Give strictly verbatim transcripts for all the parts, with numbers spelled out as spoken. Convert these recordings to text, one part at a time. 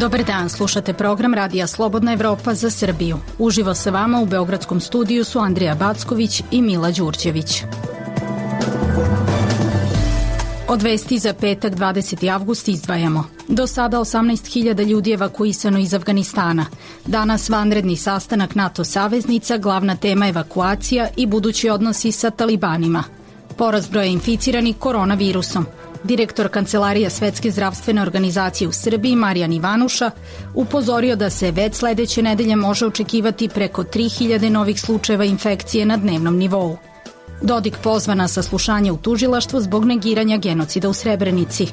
Dobar dan, slušate program Radija Slobodna Evropa za Srbiju. Uživo sa vama u beogradskom studiju su Andrija Backović i Mila Đurđević. Od vesti za petak dvadeseti avgust izdvajamo. Do sada osamnaest hiljada ljudi evakuisano iz Afganistana. Danas vanredni sastanak NATO saveznica, glavna tema evakuacija i budući odnosi sa talibanima. Porast broja inficiranih koronavirusom. Direktor Kancelarija Svetske zdravstvene organizacije u Srbiji, Marijan Ivanuša, upozorio da se već sledeće nedelje može očekivati preko tri hiljade novih slučajeva infekcije na dnevnom nivou. Dodik pozva na saslušanje u tužilaštvu zbog negiranja genocida u Srebrenici.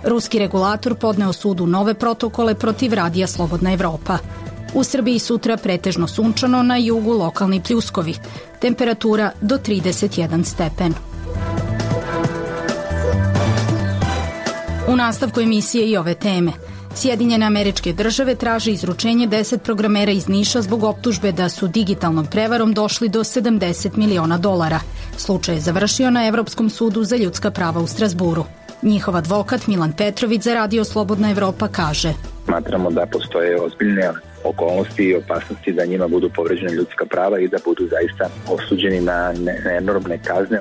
Ruski regulator podneo sudu nove protokole protiv Radija Slobodna Evropa. U Srbiji sutra pretežno sunčano, na jugu lokalni pljuskovi. Temperatura do trideset jedan stepen. U nastavku emisije i ove teme. Sjedinjene Američke Države traže izručenje deset programera iz Niša zbog optužbe da su digitalnom prevarom došli do sedamdeset miliona dolara. Slučaj je završio na Evropskom sudu za ljudska prava u Strazburu. Njihov advokat Milan Petrović za Radio Slobodna Evropa kaže: Smatramo da postoje ozbiljne okolnosti i opasnosti da njima budu povređene ljudska prava i da budu zaista osuđeni na enormne kazne.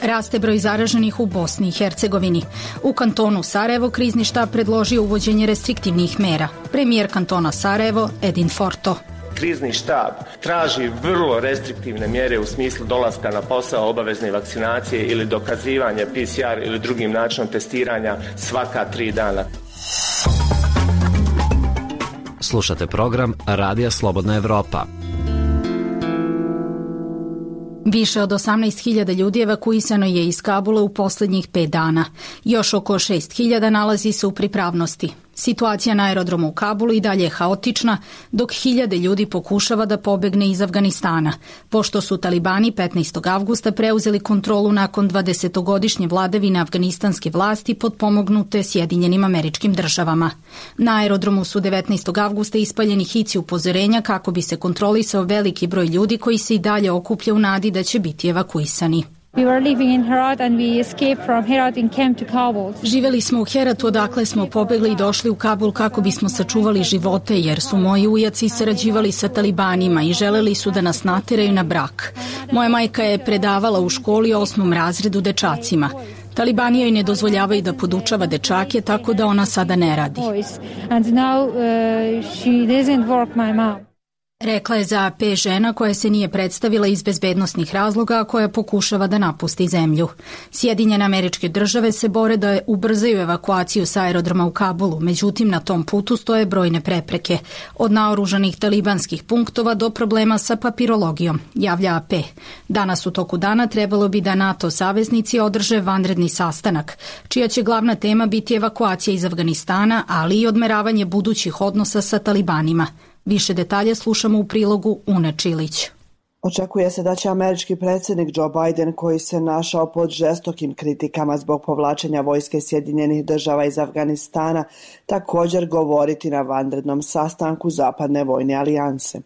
Raste broj zaraženih u Bosni i Hercegovini. U kantonu Sarajevo krizni štab predložio uvođenje restriktivnih mera. Premijer kantona Sarajevo Edin Forto. Krizni štab traži vrlo restriktivne mjere u smislu dolaska na posao, obavezne vakcinacije ili dokazivanje P C R ili drugim načinom testiranja svaka tri dana. Slušate program Radija Slobodna Evropa. Više od osamnaest hiljada ljudi evakuisano je iz Kabula u poslednjih pet dana. Još oko šest hiljada nalazi se u pripravnosti. Situacija na aerodromu u Kabulu i dalje je haotična, dok hiljade ljudi pokušava da pobegne iz Afganistana, pošto su talibani petnaestog avgusta preuzeli kontrolu nakon dvadesetogodišnje vladavine afganistanske vlasti potpomognute Sjedinjenim Američkim Državama. Na aerodromu su devetnaestog avgusta ispaljeni hici upozorenja kako bi se kontrolisao veliki broj ljudi koji se i dalje okuplja u nadi da će biti evakuisani. We were living in Herat and we escaped from Herat and came to Kabul. Živeli smo u Heratu, odakle smo pobegli i došli u Kabul kako bismo sačuvali živote, jer su moji ujaci sarađivali sa talibanima i želeli su da nas nateraju na brak. Moja majka je predavala u školi osmom razredu dečacima. Talibani joj ne dozvoljavaju da podučava dečake, tako da ona sada ne radi. And now uh, she doesn't work, my mom. Rekla je za A P žena koja se nije predstavila iz bezbednosnih razloga, a koja pokušava da napusti zemlju. Sjedinjene Američke Države se bore da ubrzaju evakuaciju sa aerodroma u Kabulu, međutim na tom putu stoje brojne prepreke, od naoružanih talibanskih punktova do problema sa papirologijom, javlja A P. Danas u toku dana trebalo bi da NATO saveznici održe vanredni sastanak, čija će glavna tema biti evakuacija iz Afganistana, ali i odmeravanje budućih odnosa sa talibanima. Više detalja slušamo u prilogu Une Čilić. Očekuje se da će američki predsjednik Joe Biden, koji se našao pod žestokim kritikama zbog povlačenja vojske Sjedinjenih Država iz Afganistana, također govoriti na vanrednom sastanku Zapadne vojne alijanse.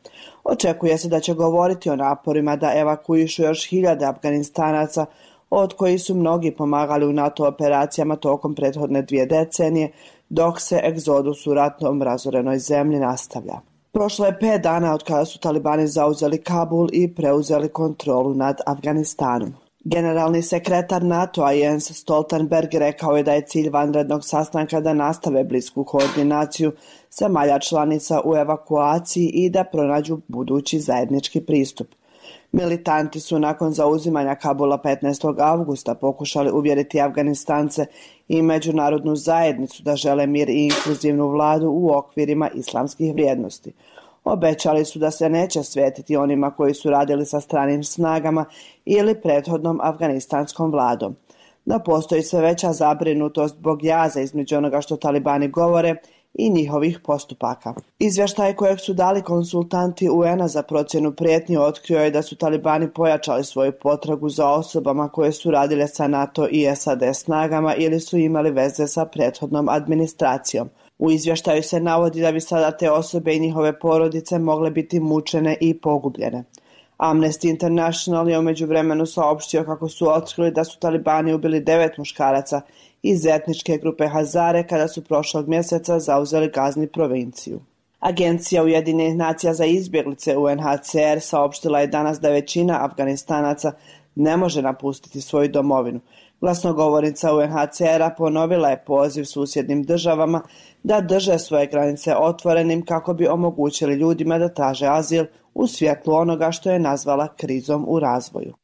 Očekuje se da će govoriti o naporima da evakuišu još hiljade Afganistanaca, od kojih su mnogi pomagali u NATO operacijama tokom prethodne dvije decenije, dok se egzodus u ratom razorenoj zemlji nastavlja. Prošlo je pet dana od kada su talibani zauzeli Kabul i preuzeli kontrolu nad Afganistanom. Generalni sekretar NATO-a Jens Stoltenberg rekao je da je cilj vanrednog sastanka da nastave blisku koordinaciju zemalja članica u evakuaciji i da pronađu budući zajednički pristup. Militanti su nakon zauzimanja Kabula petnaestog avgusta pokušali uvjeriti Afganistance i međunarodnu zajednicu da žele mir i inkluzivnu vladu u okvirima islamskih vrijednosti. Obećali su da se neće svetiti onima koji su radili sa stranim snagama ili prethodnom afganistanskom vladom. Da postoji sve veća zabrinutost zbog jaza između onoga što talibani govore i njihovih postupaka. Izvještaj kojeg su dali konsultanti U N-a za procjenu prijetnji otkrio je da su talibani pojačali svoju potragu za osobama koje su radile sa NATO i S A D snagama ili su imali veze sa prethodnom administracijom. U izvještaju se navodi da bi sada te osobe i njihove porodice mogle biti mučene i pogubljene. Amnesty International je u međuvremenu saopštio kako su otkrili da su talibani ubili devet muškaraca iz etničke grupe Hazare kada su prošlog mjeseca zauzeli Gazni provinciju. Agencija Ujedinjenih nacija za izbjeglice U N H C R saopštila je danas da većina Afganistanaca ne može napustiti svoju domovinu. Glasnogovornica U N H C R-a ponovila je poziv susjednim državama da drže svoje granice otvorenim kako bi omogućili ljudima da traže azil u svjetlu onoga što je nazvala krizom u razvoju.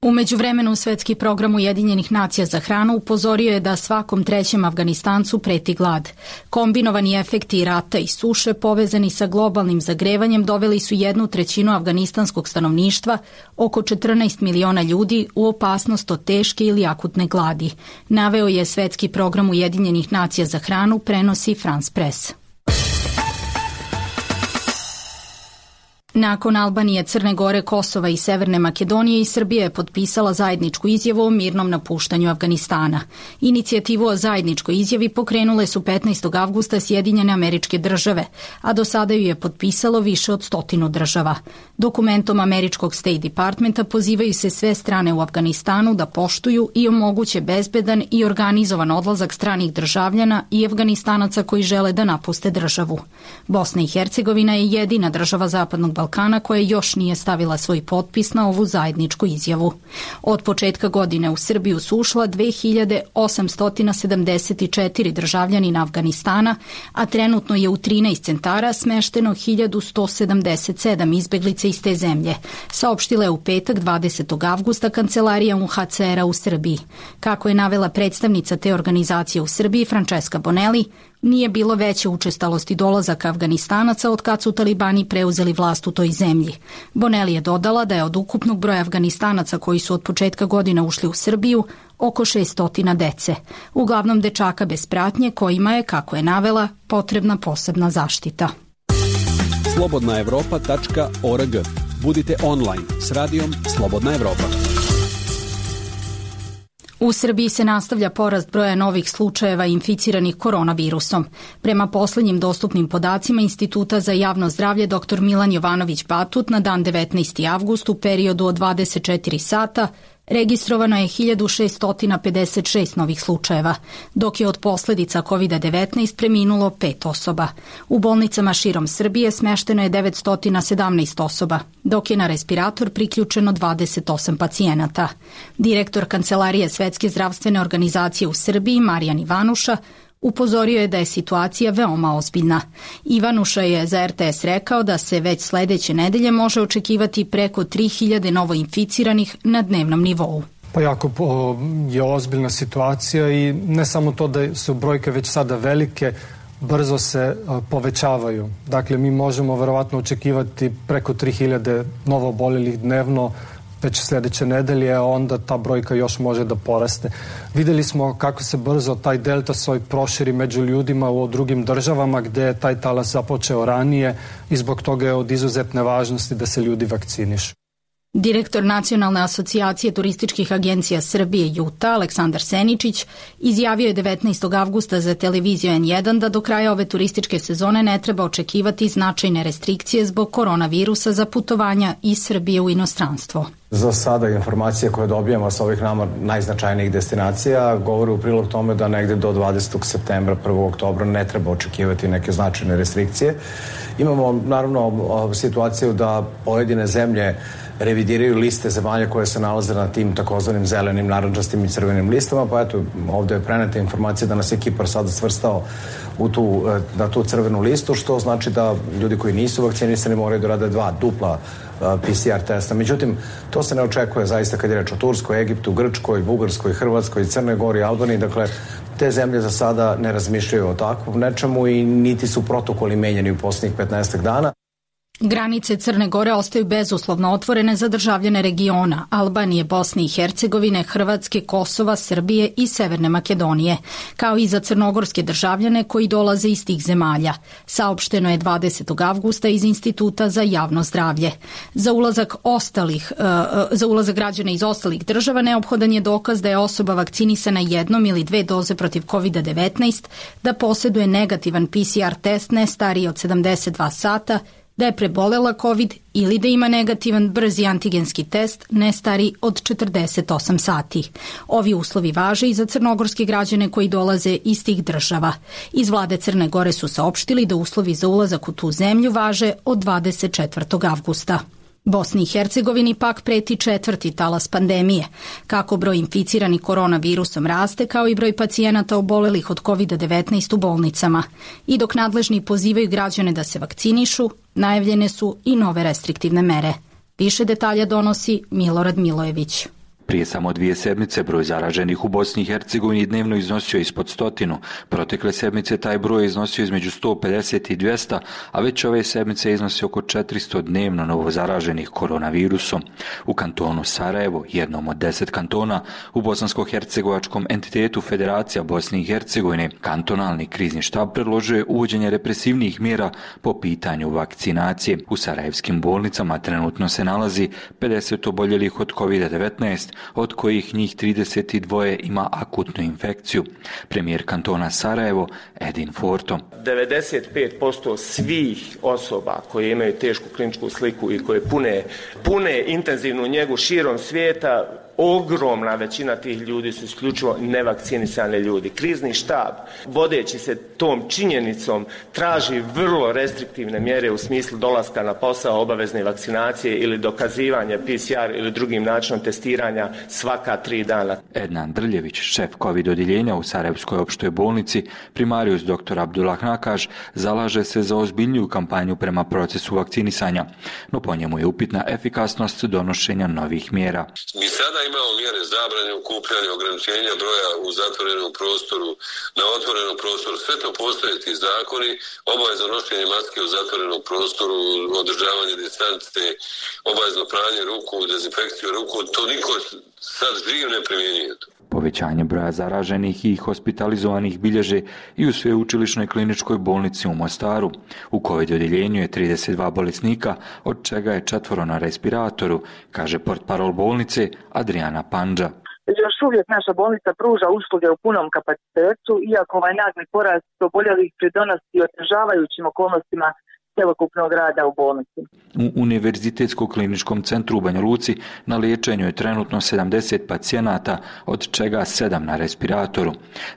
U međuvremenu Svetski program Ujedinjenih nacija za hranu upozorio je da svakom trećem Afganistancu preti glad. Kombinovani efekti rata i suše povezani sa globalnim zagrevanjem doveli su jednu trećinu afganistanskog stanovništva, oko četrnaest miliona ljudi, u opasnost od teške ili akutne gladi. Naveo je Svetski program Ujedinjenih nacija za hranu, prenosi France Press. Nakon Albanije, Crne Gore, Kosova i Severne Makedonije i Srbija je potpisala zajedničku izjavu o mirnom napuštanju Afganistana. Inicijativu o zajedničkoj izjavi pokrenule su petnaestog avgusta Sjedinjene Američke Države, a do sada ju je potpisalo više od stotinu država. Dokumentom američkog State Departmenta pozivaju se sve strane u Afganistanu da poštuju i omoguće bezbedan i organizovan odlazak stranih državljana i Afganistanaca koji žele da napuste državu. Bosna i Hercegovina je jedina država Zapadnog Balkana koja još nije stavila svoj potpis na ovu zajedničku izjavu. Od početka godine u Srbiju su ušla dve hiljade osamsto sedamdeset četiri državljanina Afganistana, a trenutno je u trinaest centara smešteno hiljadu sto sedamdeset sedam izbeglica iz te zemlje, saopštila je u petak dvadesetog avgusta Kancelarija U N H C R-a u Srbiji. Kako je navela predstavnica te organizacije u Srbiji, Francesca Bonelli, nije bilo veće učestalosti dolazaka Afganistanaca od kad su talibani preuzeli vlast u toj zemlji. Bonelli je dodala da je od ukupnog broja Afganistanaca koji su od početka godine ušli u Srbiju oko šesto dece, uglavnom dečaka bez pratnje kojima je, kako je navela, potrebna posebna zaštita. slobodna evropa tačka org. Budite online s radijom Slobodna Evropa. U Srbiji se nastavlja porast broja novih slučajeva inficiranih koronavirusom. Prema poslednjim dostupnim podacima Instituta za javno zdravlje dr Milan Jovanović Batut na dan devetnaesti avgust u periodu od dvadeset četiri sata registrovano je hiljadu šesto pedeset šest novih slučajeva, dok je od posledica kovid devetnaest preminulo pet osoba. U bolnicama širom Srbije smešteno je devetsto sedamnaest osoba, dok je na respirator priključeno dvadeset osam pacijenata. Direktor Kancelarije Svetske zdravstvene organizacije u Srbiji, Marijan Ivanuša, upozorio je da je situacija veoma ozbiljna. Ivanuša je za R T S rekao da se već sledeće nedelje može očekivati preko tri hiljade novoinficiranih na dnevnom nivou. Pa jako je ozbiljna situacija i ne samo to da su brojke već sada velike, brzo se povećavaju. Dakle, mi možemo verovatno očekivati preko tri hiljade novoobolelih dnevno već sljedeće nedelje, a onda ta brojka još može da poraste. Videli smo kako se brzo taj delta soj proširi među ljudima u drugim državama gde je taj talas započeo ranije i zbog toga je od izuzetne važnosti da se ljudi vakcinišu. Direktor Nacionalne asocijacije turističkih agencija Srbije Juta, Aleksandar Seničić, izjavio je devetnaestog avgusta za televiziju N jedan da do kraja ove turističke sezone ne treba očekivati značajne restrikcije zbog koronavirusa za putovanja iz Srbije u inostranstvo. Za sada informacije koje dobijamo sa ovih nama najznačajnijih destinacija govore u prilog tome da negde do dvadesetog septembra, prvog oktobra ne treba očekivati neke značajne restrikcije. Imamo naravno situaciju da pojedine zemlje revidiraju liste zemalja koje se nalaze na tim takozvanim zelenim, narandžastim i crvenim listama, pa eto, ovde je preneta informacija da nas je Kipar sada svrstao u tu, na tu crvenu listu, što znači da ljudi koji nisu vakcinisani moraju da rade dva dupla P C R testa. Međutim, to se ne očekuje zaista kad je reč o Turskoj, Egiptu, Grčkoj, Bugarskoj, Hrvatskoj, Crnoj Gori, Albaniji. Dakle, te zemlje za sada ne razmišljaju o takvom nečemu i niti su protokoli menjeni u posljednjih petnaestak dana. Granice Crne Gore ostaju bezuslovno otvorene za državljane regiona Albanije, Bosne i Hercegovine, Hrvatske, Kosova, Srbije i Severne Makedonije, kao i za crnogorske državljane koji dolaze iz tih zemalja. Saopšteno je dvadesetog avgusta iz Instituta za javno zdravlje. Za ulazak ostalih, uh, za ulazak građana iz ostalih država neophodan je dokaz da je osoba vakcinisana jednom ili dve doze protiv kovid devetnaest, da posjeduje negativan P C R test ne stariji od sedamdeset dva sata da je prebolela COVID ili da ima negativan brzi antigenski test ne stari od četrdeset osam sati. Ovi uslovi važe i za crnogorske građane koji dolaze iz tih država. Iz vlade Crne Gore su saopštili da uslovi za ulazak u tu zemlju važe od dvadeset četvrtog avgusta. Bosni i Hercegovini pak preti četvrti talas pandemije. Kako broj inficiranih koronavirusom raste, kao i broj pacijenata obolelih od kovid devetnaest u bolnicama. I dok nadležni pozivaju građane da se vakcinišu, najavljene su i nove restriktivne mere. Više detalja donosi Milorad Milojević. Prije samo dvije sedmice broj zaraženih u Bosni i Hercegovini dnevno iznosio ispod stotinu. Protekle sedmice taj broj je iznosio između sto pedeset i dvjesto, a već ove sedmice iznosi oko četiristo dnevno novo zaraženih koronavirusom. U kantonu Sarajevo, jednom od deset kantona, u bosansko-hercegovačkom entitetu Federacija Bosne i Hercegovine, kantonalni krizni štab predložio je uvođenje represivnih mjera po pitanju vakcinacije. U sarajevskim bolnicama trenutno se nalazi pedeset oboljelih od kovid devetnaest, od kojih njih trideset dva ima akutnu infekciju. Premijer kantona Sarajevo, Edin Forto. devedeset pet posto svih osoba koje imaju tešku kliničku sliku i koje pune, pune intenzivnu njegu širom svijeta, ogromna većina tih ljudi su isključivo nevakcinisani ljudi. Krizni štab, vodeći se tom činjenicom, traži vrlo restriktivne mjere u smislu dolaska na posao, obavezne vakcinacije ili dokazivanja P C R ili drugim načinom testiranja svaka tri dana. Ednan Drljević, šef COVID odjeljenja u Sarajevskoj opštoj bolnici, primarius doktor Abdullah Nakaš, zalaže se za ozbiljniju kampanju prema procesu vakcinisanja, no po njemu je upitna efikasnost donošenja novih mjera. Mi sada imamo mjere zabrane okupljanja, ograničenja broja u zatvorenom prostoru, na otvorenom prostoru. Sve to postoje ti zakoni, obavezno nošenje maske u zatvorenom prostoru, održavanje distance, obavezno pranje ruku, dezinfekciju ruku. To niko sad živ ne primjenjuje. Povećanje broja zaraženih i hospitalizovanih bilježe i u sveučilišnoj kliničkoj bolnici u Mostaru. U COVID odjeljenju je trideset dva bolesnika, od čega je četvoro na respiratoru, kaže portparol bolnice Adriana Pandža. Još uvijek naša bolnica pruža usluge u punom kapacitetu, iako ovaj nagli porast oboljelih pridonosi otežavajućim okolnostima cjelokupnog rada u bolnici. U Univerzitetskom kliničkom centru u Banja Luci na liječenju je trenutno sedamdeset pacijenata, od čega sedam na respiratoru.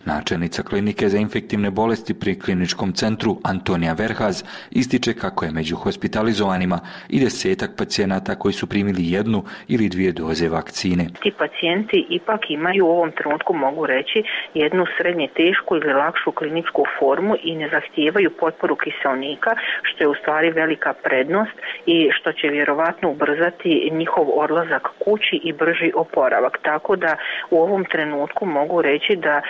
Načelnica klinike za infektivne bolesti pri kliničkom centru Antonija Verhaz ističe kako je među hospitalizovanima i desetak pacijenata koji su primili jednu ili dvije doze vakcine. Ti pacijenti ipak imaju u ovom trenutku, mogu reći, jednu srednje tešku ili lakšu kliničku formu i ne zahtijevaju potporu kiselnika, što je u stvari velika prednost i što će vjerovatno ubrzati njihov odlazak kući i brži oporavak. Tako da u ovom trenutku mogu reći da e,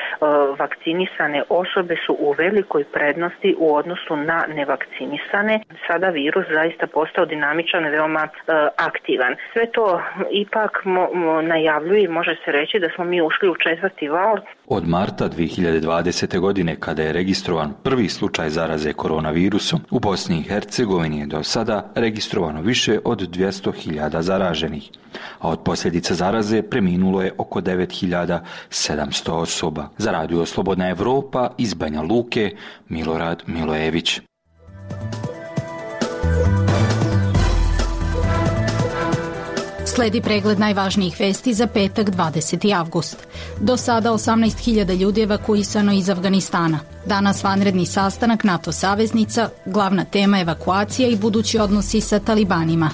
vakcinisane osobe su u velikoj prednosti u odnosu na nevakcinisane. Sada virus zaista postao dinamičan i veoma e, aktivan. Sve to ipak mo, mo, najavljuje i može se reći da smo mi ušli u četvrti val. Od marta dvije hiljade dvadesete. godine, kada je registrovan prvi slučaj zaraze koronavirusom, u Bosni i Hercegovini je do sada registrovano više od dvjesto hiljada zaraženih, a od posljedica zaraze preminulo je oko devet hiljada sedamsto osoba. Za Radio Slobodna Evropa iz Banja Luke, Milorad Milojević. Sledi pregled najvažnijih vesti za petak dvadeseti avgust. Do sada osamnaest hiljada ljudi evakuisano iz Afganistana. Danas vanredni sastanak NATO saveznica, glavna tema evakuacija i budući odnosi sa talibanima.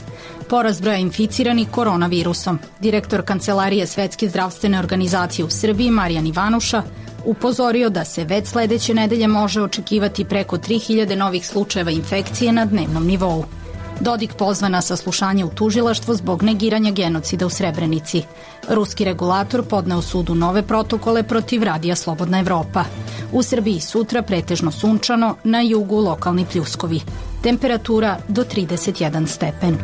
Porast broja inficiranih koronavirusom. Direktor Kancelarije Svetske zdravstvene organizacije u Srbiji, Marijan Ivanuša, upozorio da se već sledeće nedelje može očekivati preko tri hiljade novih slučajeva infekcije na dnevnom nivou. Dodik pozva na saslušanje u tužilaštvo zbog negiranja genocida u Srebrenici. Ruski regulator podneo sudu nove protokole protiv Radija Slobodna Evropa. U Srbiji sutra pretežno sunčano, na jugu lokalni pljuskovi. Temperatura do trideset jedan stepen.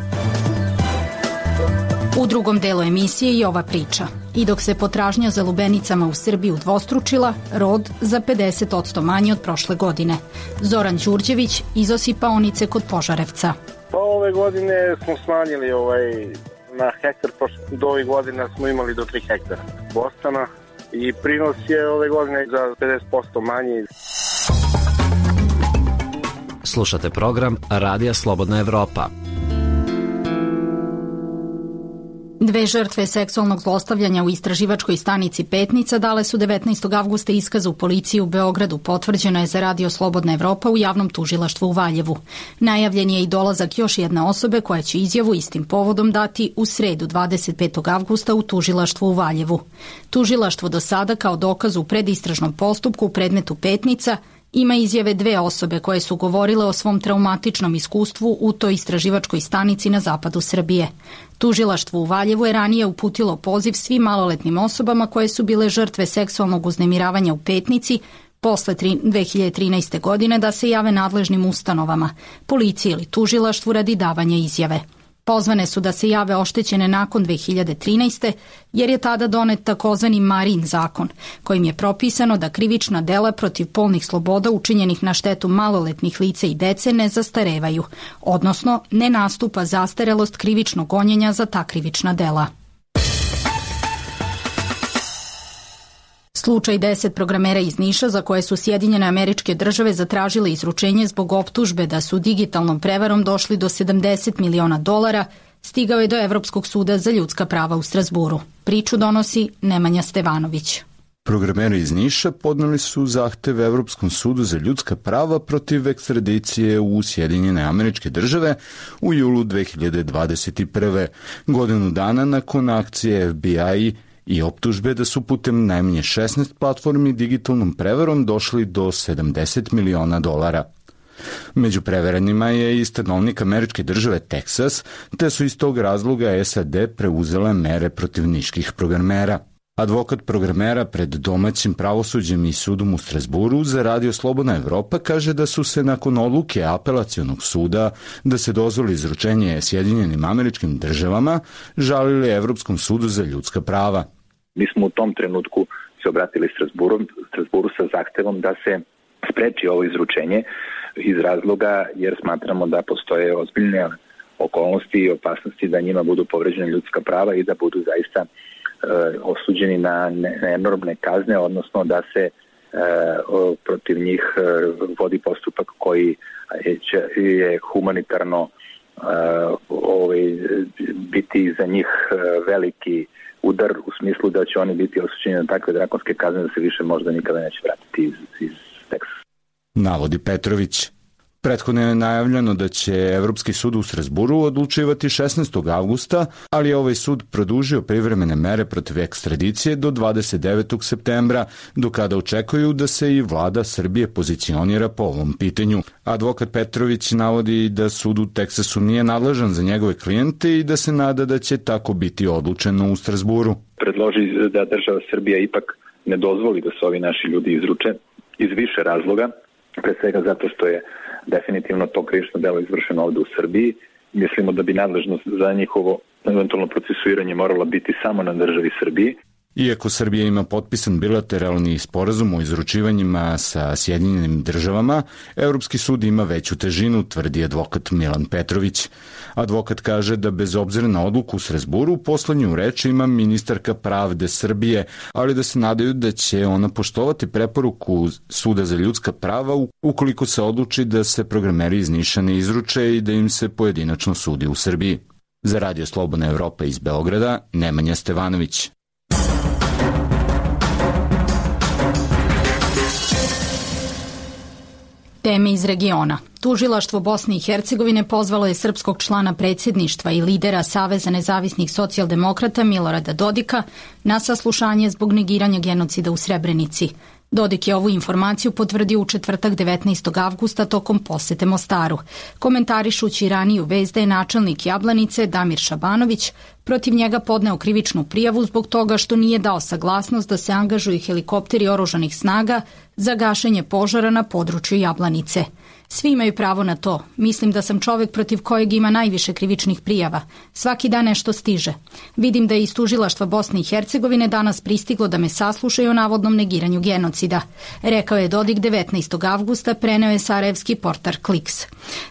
U drugom delu emisije i ova priča. I dok se potražnja za lubenicama u Srbiji udvostručila, rod za pedeset posto manje od prošle godine. Zoran Đurđević iz osipaonice kod Požarevca. Pa ove godine smo smanjili ovaj, na hektar, do ovih godina smo imali do tri hektara bostana i prinos je ove godine za pedeset posto manji. Slušate program Radija Slobodna Evropa. Dve žrtve seksualnog zlostavljanja u istraživačkoj stanici Petnica dale su devetnaestog avgusta iskaz u policiji u Beogradu, potvrđeno je za Radio Slobodna Evropa u javnom tužilaštvu u Valjevu. Najavljen je i dolazak još jedne osobe koja će izjavu istim povodom dati u sredu dvadeset petog avgusta u tužilaštvu u Valjevu. Tužilaštvo do sada kao dokaz u predistražnom postupku u predmetu Petnica ima izjave dve osobe koje su govorile o svom traumatičnom iskustvu u toj istraživačkoj stanici na zapadu Srbije. Tužilaštvo u Valjevu je ranije uputilo poziv svim maloletnim osobama koje su bile žrtve seksualnog uznemiravanja u Petnici posle dve hiljade trinaeste. godine da se jave nadležnim ustanovama, policiji ili tužilaštvu radi davanja izjave. Pozvane su da se jave oštećene nakon dve hiljade trinaeste. jer je tada donet takozvani Marin zakon, kojim je propisano da krivična dela protiv polnih sloboda učinjenih na štetu maloletnih lica i dece ne zastarevaju, odnosno ne nastupa zastarelost krivičnog gonjenja za ta krivična dela. Slučaj deset programera iz Niša za koje su Sjedinjene Američke Države zatražile izručenje zbog optužbe da su digitalnom prevarom došli do sedamdeset miliona dolara, stigao je do Evropskog suda za ljudska prava u Strazburu. Priču donosi Nemanja Stevanović. Programeri iz Niša podneli su zahtev Evropskom sudu za ljudska prava protiv ekstradicije u Sjedinjene Američke Države u julu dve hiljade dvadeset prve. godinu dana nakon akcije F B I i optužbe da su putem najmanje šesnaest platformi digitalnom prevarom došli do sedamdeset miliona dolara. Među preverenima je i stanovnik američke države Teksas, te su iz tog razloga S A D preuzele mere protiv niških programera. Advokat programera pred domaćim pravosuđem i sudom u Strazburu za Radio Slobodna Evropa kaže da su se nakon odluke apelacionog suda da se dozvoli izručenje Sjedinjenim Američkim Državama žalili Evropskom sudu za ljudska prava. Mi smo u tom trenutku se obratili Strazburu, Strazburu sa zahtevom da se spreči ovo izručenje iz razloga jer smatramo da postoje ozbiljne okolnosti i opasnosti da njima budu povređene ljudska prava i da budu zaista e, osuđeni na, na enormne kazne, odnosno da se e, o, protiv njih e, vodi postupak koji je, je humanitarno e, ovaj, biti za njih veliki udar u smislu da će oni biti osuđeni na takve drakonske kazne da se više možda nikada neće vratiti iz, iz Teksasa. Navodi Petrović. Prethodno je najavljeno da će Evropski sud u Strazburu odlučivati šesnaestog avgusta, ali je ovaj sud produžio privremene mere protiv ekstradicije do dvadeset devetog septembra, do kada očekuju da se i vlada Srbije pozicionira po ovom pitanju. Advokat Petrović navodi da sud u Teksasu nije nadležan za njegove klijente i da se nada da će tako biti odlučeno u Strazburu. Predloži da država Srbija ipak ne dozvoli da se ovi naši ljudi izruče iz više razloga, pre svega zato što je definitivno to krivično delo izvršeno ovde u Srbiji. Mislimo da bi nadležnost za njihovo eventualno procesuiranje morala biti samo na državi Srbiji. Iako Srbija ima potpisan bilateralni sporazum o izručivanjima sa Sjedinjenim Državama, Evropski sud ima veću težinu, tvrdi advokat Milan Petrović. Advokat kaže da bez obzira na odluku u Strazburu, poslednju reč ima ministarka pravde Srbije, ali da se nadaju da će ona poštovati preporuku Suda za ljudska prava ukoliko se odluči da se programeri iz Niša ne izruče i da im se pojedinačno sudi u Srbiji. Za Radio Slobodna Evropa iz Beograda, Nemanja Stevanović. Teme iz regiona. Tužilaštvo Bosne i Hercegovine pozvalo je srpskog člana predsjedništva i lidera Saveza nezavisnih socijaldemokrata Milorada Dodika na saslušanje zbog negiranja genocida u Srebrenici. Dodik je ovu informaciju potvrdio u četvrtak devetnaestog avgusta tokom posete Mostaru. Komentarišući raniju vest da je načelnik Jablanice Damir Šabanović protiv njega podneo krivičnu prijavu zbog toga što nije dao saglasnost da se angažuju helikopteri oružanih snaga za gašenje požara na području Jablanice. Svi imaju pravo na to. Mislim da sam čovek protiv kojeg ima najviše krivičnih prijava. Svaki dan nešto stiže. Vidim da je iz tužilaštva Bosne i Hercegovine danas pristiglo da me saslušaju o navodnom negiranju genocida. Rekao je Dodik devetnaestog avgusta, preneo je sarajevski portal Kliks.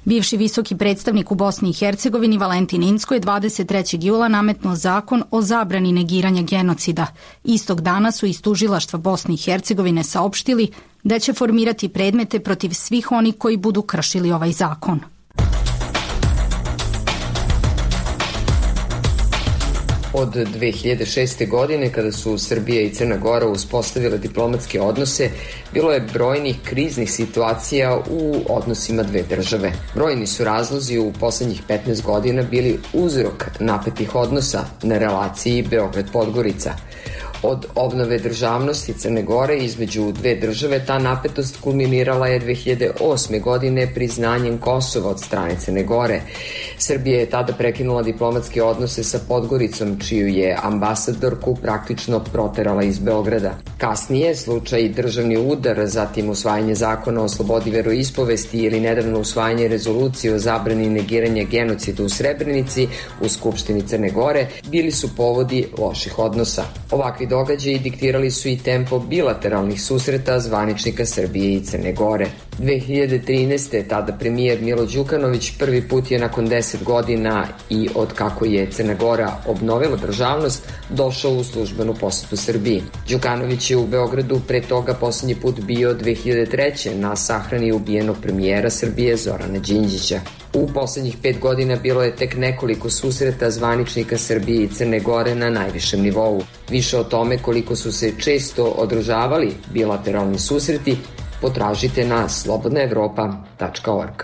Bivši visoki predstavnik u Bosni i Hercegovini Valentin Incko je dvadeset trećeg jula nametnuo zakon o zabrani negiranja genocida. Istog dana su iz tužilaštva Bosne i Hercegovine saopštili da će formirati predmete protiv svih onih koji budu kršili ovaj zakon. Od dve hiljade šeste. godine, kada su Srbija i Crna Gora uspostavile diplomatske odnose, bilo je brojnih kriznih situacija u odnosima dve države. Brojni su razlozi u poslednjih petnaest godina bili uzrok napetih odnosa na relaciji Beograd-Podgorica. Od obnove državnosti Crne Gore između dve države ta napetost kulminirala je dve hiljade osme. godine priznanjem Kosova od strane Crne Gore. Srbija je tada prekinula diplomatske odnose sa Podgoricom, čiju je ambasadorku praktično proterala iz Beograda. Kasnije, slučaj državni udar, zatim usvajanje zakona o slobodi veroispovesti ili nedavno usvajanje rezolucije o zabrani negiranja genocida u Srebrenici u Skupštini Crne Gore bili su povodi loših odnosa. Ovakvi događaji diktirali su i tempo bilateralnih susreta zvaničnika Srbije i Crne Gore. dve hiljade trinaeste. tada premijer Milo Đukanović prvi put je nakon deset godina i od kako je Crna Gora obnovila državnost došao u službenu posetu Srbiji. Đukanović je u Beogradu pre toga poslednji put bio dve hiljade treće. na sahrani ubijenog premijera Srbije Zorana Đinđića. U poslednjih pet godina bilo je tek nekoliko susreta zvaničnika Srbije i Crne Gore na najvišem nivou. Više o tome koliko su se često održavali bilateralni susreti potražite na slobodna evropa tačka org.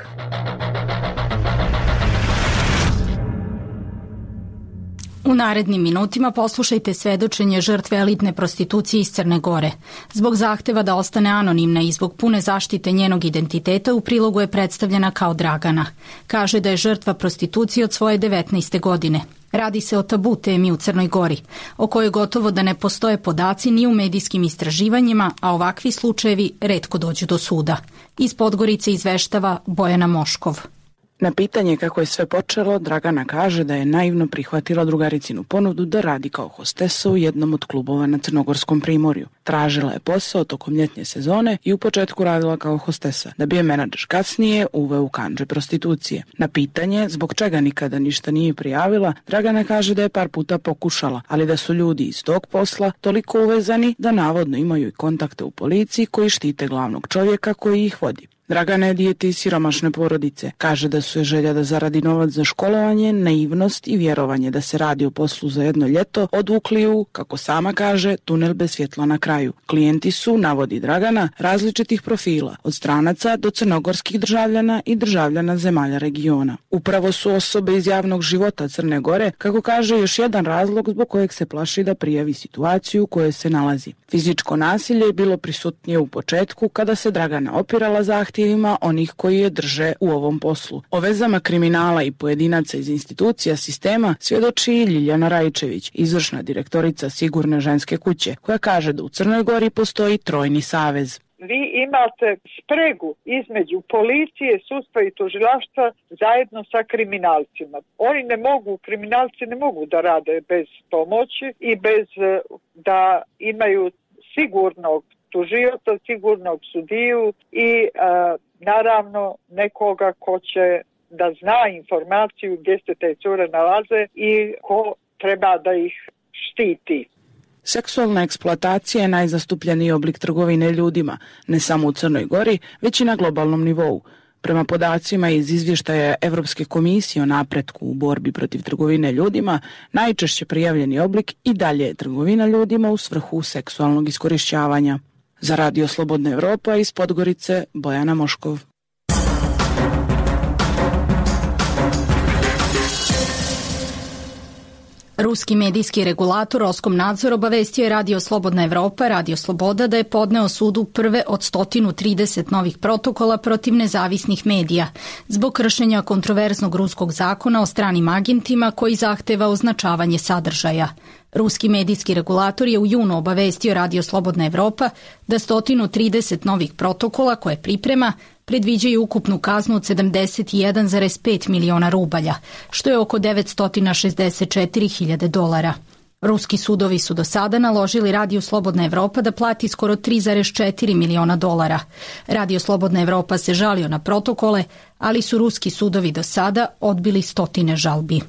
U narednim minutima poslušajte svedočenje žrtve elitne prostitucije iz Crne Gore. Zbog zahteva da ostane anonimna i zbog pune zaštite njenog identiteta u prilogu je predstavljena kao Dragana. Kaže da je žrtva prostitucije od svoje devetnaeste. godine. Radi se o tabu temi u Crnoj Gori, o kojoj gotovo da ne postoje podaci ni u medijskim istraživanjima, a ovakvi slučajevi retko dođu do suda. Iz Podgorice izveštava Bojana Moškov. Na pitanje kako je sve počelo, Dragana kaže da je naivno prihvatila drugaricinu ponudu da radi kao hostesa u jednom od klubova na Crnogorskom primorju. Tražila je posao tokom ljetnje sezone i u početku radila kao hostesa, da bi je menadžer kasnije uveo u kandže prostitucije. Na pitanje zbog čega nikada ništa nije prijavila, Dragana kaže da je par puta pokušala, ali da su ljudi iz tog posla toliko uvezani da navodno imaju i kontakte u policiji koji štite glavnog čovjeka koji ih vodi. Dragana je dijete iz siromašne porodice. Kaže da su je želja da zaradi novac za školovanje, naivnost i vjerovanje da se radi o poslu za jedno ljeto odvukli u, kako sama kaže, tunel bez svjetla na kraju. Klijenti su, navodi Dragana, različitih profila, od stranaca do crnogorskih državljana i državljana zemalja regiona. Upravo su osobe iz javnog života Crne Gore, kako kaže, još jedan razlog zbog kojeg se plaši da prijavi situaciju u kojoj se nalazi. Fizičko nasilje je bilo prisutnije u početku kada se Dragana opirala zahtjevima onih koji je drže u ovom poslu. O vezama kriminala i pojedinaca iz institucija sistema svjedoči i Ljiljana Rajčević, izvršna direktorica Sigurne ženske kuće, koja kaže da u Crnoj Gori postoji trojni savez. Vi imate spregu između policije, sudstva i tužilaštva zajedno sa kriminalcima. Oni ne mogu, kriminalci ne mogu da rade bez pomoći i bez da imaju sigurnog tužioca, sigurnog sudiju i a, naravno nekoga ko će da zna informaciju gdje se te cure nalaze i ko treba da ih štiti. Seksualna eksploatacija je najzastupljeniji oblik trgovine ljudima, ne samo u Crnoj Gori, već i na globalnom nivou. Prema podacima iz izvještaja Evropske komisije o napretku u borbi protiv trgovine ljudima, najčešće prijavljeni oblik i dalje je trgovina ljudima u svrhu seksualnog iskorišćavanja. Za Radio Slobodna Evropa iz Podgorice, Bojana Moškov. Ruski medijski regulator Roskomnadzor obavestio je Radio Slobodna Evropa, Radio Sloboda, da je podneo sudu prve od sto trideset novih protokola protiv nezavisnih medija zbog kršenja kontroverznog ruskog zakona o stranim agentima koji zahteva označavanje sadržaja. Ruski medijski regulator je u junu obavestio Radio Slobodna Evropa da sto trideset novih protokola koje priprema predviđaju ukupnu kaznu od sedamdeset jedan zarez pet miliona rubalja, što je oko devetsto šezdeset četiri hiljade dolara. Ruski sudovi su do sada naložili Radio Slobodna Evropa da plati skoro tri zarez četiri miliona dolara. Radio Slobodna Evropa se žalio na protokole, ali su ruski sudovi do sada odbili stotine žalbi.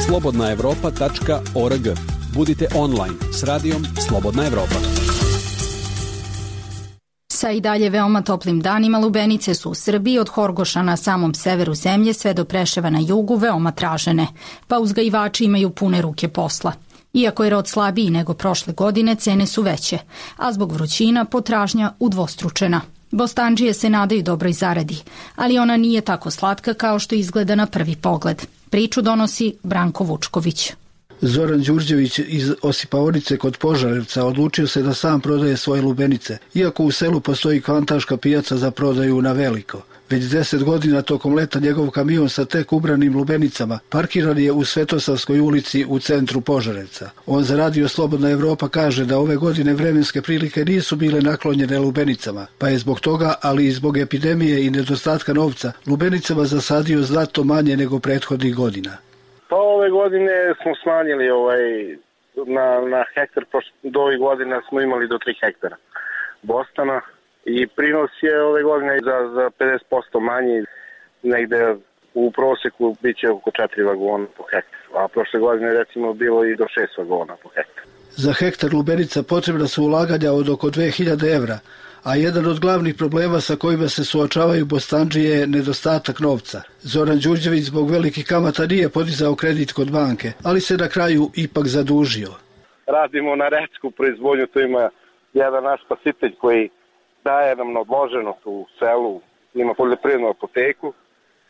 slobodna evropa tačka org. Budite online s radijom Slobodna Evropa. Sa i dalje veoma toplim danima lubenice su u Srbiji od Horgoša na samom severu zemlje sve do Preševa na jugu veoma tražene, pa uzgajivači imaju pune ruke posla. Iako je rod slabiji nego prošle godine, cene su veće, a zbog vrućina potražnja udvostručena. Bostandžije se nadaju dobroj zaradi, ali ona nije tako slatka kao što izgleda na prvi pogled. Priču donosi Branko Vučković. Zoran Đurđević iz Osipaonice kod Požarevca odlučio se da sam prodaje svoje lubenice, iako u selu postoji kvantaška pijaca za prodaju na veliko. Već deset godina tokom leta njegov kamion sa tek ubranim lubenicama parkiran je u Svetosavskoj ulici u centru Požarevca. On za Radio Slobodna Evropa kaže da ove godine vremenske prilike nisu bile naklonjene lubenicama, pa je zbog toga, ali i zbog epidemije i nedostatka novca, lubenicama zasadio znatno manje nego prethodnih godina. Pa ove godine smo smanjili ovaj, na, na hektar, do ovih godina smo imali do tri hektara bostana i prinos je ove godine za, za pedeset posto manji, negde u proseku bit će oko četiri vagona po hektaru, a prošle godine recimo bilo i do šest vagona po hektaru. Za hektar lubenica potrebna su ulaganja od oko dve hiljade evra, a jedan od glavnih problema sa kojima se suočavaju bostandžije je nedostatak novca. Zoran Đurđević zbog velikih kamata nije podizao kredit kod banke, ali se na kraju ipak zadužio. Radimo na rečku proizvodnju, to ima jedan naš spasitelj koji daje nam na odloženo u selu, ima poljoprivrednu apoteku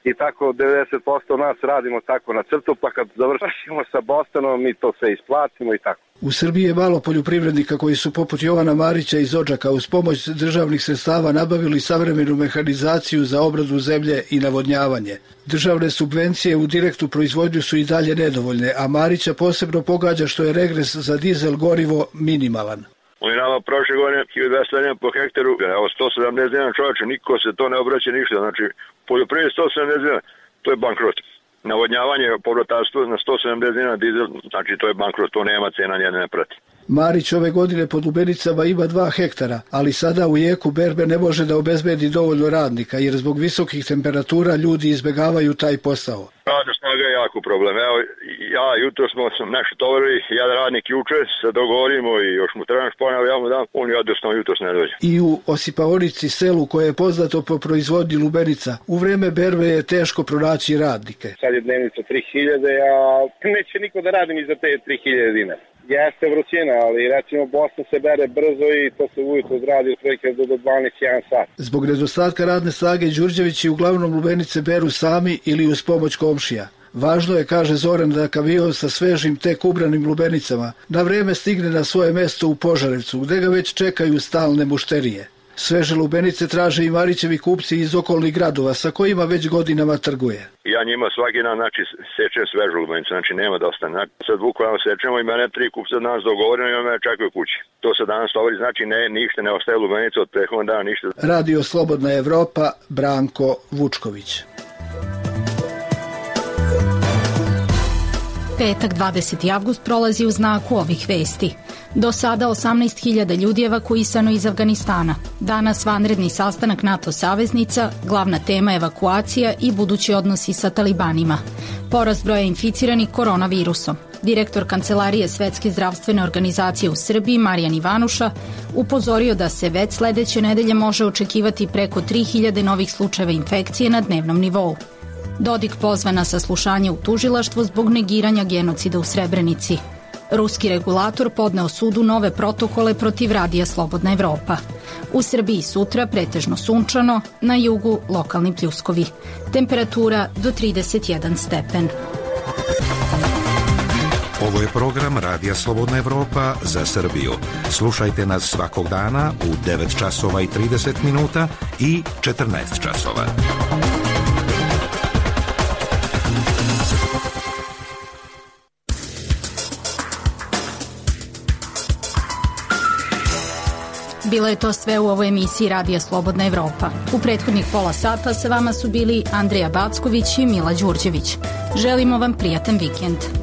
i tako devedeset posto nas radimo tako na crtu, pa kad završimo sa Bostanom mi to sve isplatimo i tako. U Srbiji je malo poljoprivrednika koji su poput Jovana Marića iz Odžaka uz pomoć državnih sredstava nabavili savremenu mehanizaciju za obradu zemlje i navodnjavanje. Državne subvencije u direktnu proizvodnju su i dalje nedovoljne, a Marića posebno pogađa što je regres za dizel gorivo minimalan. Oni nama prošle godine hiljadu dvesta dinara po hektaru, evo sto sedamdeset dinara čovječe, niko se to ne obraća ništa, znači poljoprivreda sto sedamdeset dinara, to je bankrot. Navodnjavanje, povratarstvo na sto sedamdeset dinara dizel, znači to je bankrot, to nema cena, nijedne ne prati. Marić ove godine pod lubenicama ima dva hektara, ali sada u jeku berbe ne može da obezbedi dovoljno radnika, jer zbog visokih temperatura ljudi izbegavaju taj posao. Radna snaga je jako problem. Evo, ja jutro smo nešto tovarili, jedan radnik juče, se dogovorimo i još mu treba šponjava, ja mu dam, on jednostavno jutro ne dođe. I u Osipaonici, selu koje je poznato po proizvodnji lubenica, u vreme berbe je teško pronaći radnike. Sad je dnevnica tri hiljade, a neće niko da radi ni za te tri hiljade dinara. Jeste vrućina, ali recimo Bosna se bere brzo i to se ujutro odradi otprilike do dvanaest jedan sat. Zbog nedostatka radne snage Đurđevići uglavnom lubenice beru sami ili uz pomoć komšija. Važno je, kaže Zoran, da kamion sa svežim tek ubranim lubenicama na vreme stigne na svoje mesto u Požarevcu, gde ga već čekaju stalne mušterije. Sveže lubenice traže i Marićevi kupci iz okolnih gradova sa kojima već godinama trguje. Ja njima svaki dan znači, sečem svežu lubenicu, znači nema dosta. Znači, sad bukvalno sečemo i mene tri kupca danas dogovoreno i mene čekaju kući. To se danas tovari, znači ne, ništa ne ostaje lubenica od prethodnog dana, ništa. Radio Slobodna Evropa, Branko Vučković. Petak dvadeseti avgust prolazi u znaku ovih vesti. Do sada osamnaest hiljada ljudi evakuisano iz Afganistana. Danas vanredni sastanak NATO saveznica, glavna tema evakuacija i budući odnosi sa talibanima. Porast broja inficiranih koronavirusom. Direktor Kancelarije Svetske zdravstvene organizacije u Srbiji, Marijan Ivanuša, upozorio da se već sledeće nedelje može očekivati preko tri hiljade novih slučajeva infekcije na dnevnom nivou. Dodik pozva na saslušanje u tužilaštvo zbog negiranja genocida u Srebrenici. Ruski regulator podneo sudu nove protokole protiv Radija Slobodna Evropa. U Srbiji sutra pretežno sunčano, na jugu lokalni pljuskovi. Temperatura do trideset jedan stepen. Ovo je program Radija Slobodna Evropa za Srbiju. Slušajte nas svakog dana u devet časova i trideset minuta i četrnaest časova. Bilo je to sve u ovoj emisiji Radija Slobodna Evropa. U prethodnih pola sata sa vama su bili Andreja Backović i Mila Đurđević. Želimo vam prijatan vikend.